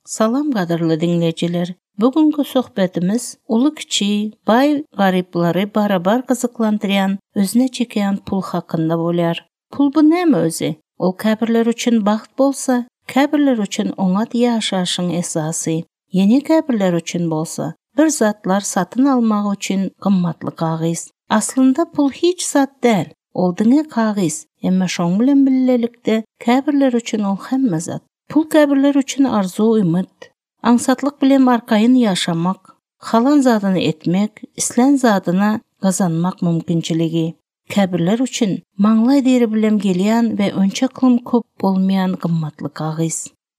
Salam gadyrly diňleýjiler! Bu günki söhbetimiz uly-kiçi, baý-garyplary barabar gyzyklandyrýan, özüne çekýän pul hakynda bolýar. Pul bu näme özi? Ol käbirler üçin bagt bolsa, käbirler üçin oňat ýaşaýşyň esasy. Ýene käbirler üçin bolsa, bir zatlar satyn almak üçin gymmatly kagyz. Aslynda pul hiç zat däl, ol diňe kagyz, emma şoň bilen billelikde käbirler üçin ol hemme zat. Pul käbirler üçin arzuw-umyt, aňsatlyk bilen arkaýyn ýaşamak, halan zadyny etmek, islän zadyny gazanmak mümkinçiligi. Käbirler üçin maňlaý deri bilen gelýän we onçaklym köp bolmaýan gymmatly kagyz.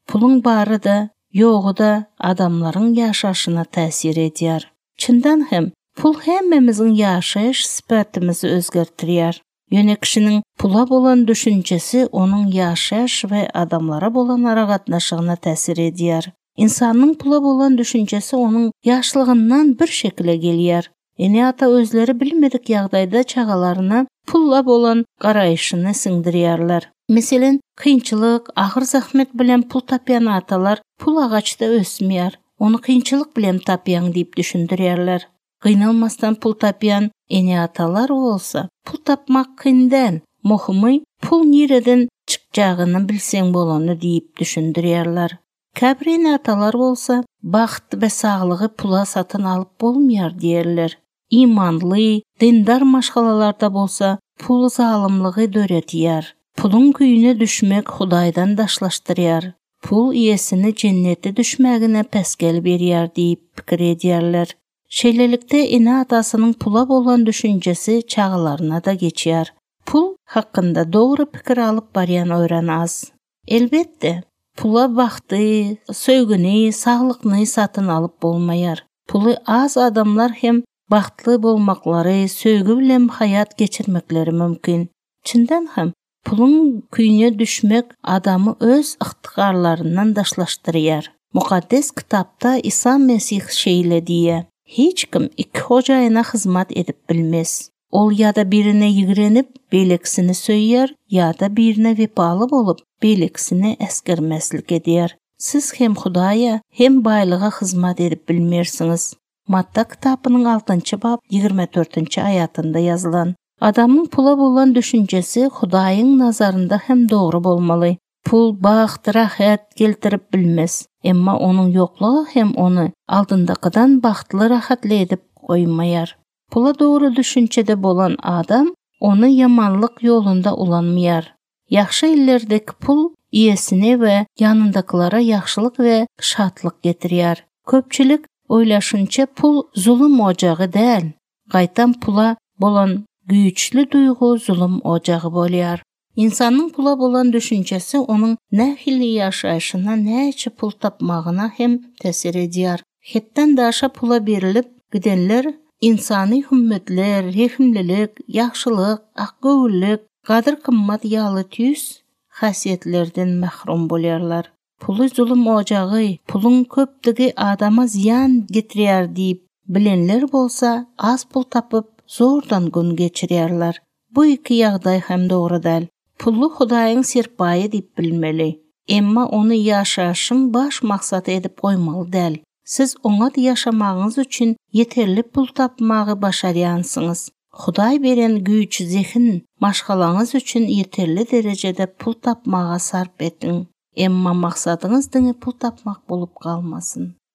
Puluň bary-da, ýogy-da adamlaryň ýaşaşyna täsir edýär. Çyndan hem, pul hemmämiziň ýaşaýyş sypatymyzy özgertirýär. Ýöne kişiniň pula bolan düşünjesi onuň ýaşaýyş we adamlara bolan aragatnaşygyna täsir edýär. Ynsanyň pula bolan düşünjesi onuň ýaşlygyndan bir şekile gelýär. Ene-ata özleri bilmedik ýagdaýda çagalaryna pula bolan garaýşyny siňdirýärler. Meselem, kynçylyk, agyr zähmet bilen pul tapýan atalar pul agaçda ösmeýär, ony kynçylyk bilen tapýaň diýip düşündirýärler. Gynalmasdan pul tapýan ene-atalar bolsa, pul tapmak kyn däl, möhümi pul nireden çykjagyny bilseň bolany diýip düşündirýärler. Käbir ene-atalar bolsa, bagt we saglygy pula satyn alyp bolmaýar diýerler. Imanly, dindar maşgalalarda bolsa pul zalymlygy döredýär. Puluň küýüne düşmek Hudaýdan daşlaşdyrýar. Pul iýesine jennete düşmägine päsgel berýär diýip pikir edýärler. Şeýlelikde, ene-atasynyň pula bolan düşünjesi çagalaryna-da geçýär. Pul hakynda dogry pikir alyp barýan örän az. Elbetde, pula bagty, söýgini, saglykny satyn alyp bolmaýar. Puly az adamlar hem bagtly bolmaklary, söýgi bilen haýat geçirmekleri mümkin. Çyndan hem, Puluň küýüne düşmek adamy öz ygtykarlaryndan daşlaşdyrýar. Mukaddes Kitapda Isa Mesih şeýle diýýär, Hiç kim iki hojaýyna hyzmat edip bilmez. Ol ýa-da birine ýigrenip, beýlekisini söýýär, ýa-da birine wepaly bolup, beýlekisini äsgermezlik edýär. Siz hem Hudaýa, hem baýlyga hyzmat edip bilmersiňiz. Matta kitapynyň altynjy bap 24-nji aýatynda ýazylan. Adamyň pula bolan düşünjesi Hudaýyň nazarynda hem dogry bolmaly. Pul bagt, rahat geltirip bilmez. Emma onuň ýoklugy hem ony aldyndakydan bagtly, rahatly edip goýmaýar. Pula dogry düşünjede bolan adam ony ýamanlyk ýolunda ulanmaýar. Ýagşy ellerdeki pul iýesine we ýanyndakylara ýagşylyk we şatlyk getirýär. Köpçülik oýlaşynça pul zulum ojagy däl, gaýtam pula bolan güýçli duýgy zulum ojagy bolýar. Ynsanyň pula bolan düşünjesi onuň nähili ýaşaýşyna, näçe pul tapmagyna hem täsir edýär. Hetden daşa pula berilip gidenler ynsany hümmetler, rehimlilik, ýagşylyk, akgöwünlik, gadyr-gymmat ýaly tüýs häsiýetlerden mahrum bolýarlar. Puly zulum ojagy, puluň köpdügi adama zyýan getirýär diýip bilenler bolsa az pul tapyp zordan gün geçirýärler. Bu iki ýagdaý hem dogry däl. Puly Hudaýyň serpaýy diýip bilmeli. Emma ony ýaşaýşyň baş maksady edip goýmaly däl. Siz oňat ýaşamagyňyz üçin ýeterli pul tapmagy başarýansyňyz. Hudaý beren güýç, zehin maşgalaňyz üçin ýeterli derejede pul tapmaga sarp ediň. Emma maksadyňyz diňe pul tapmak bolup galmasyn.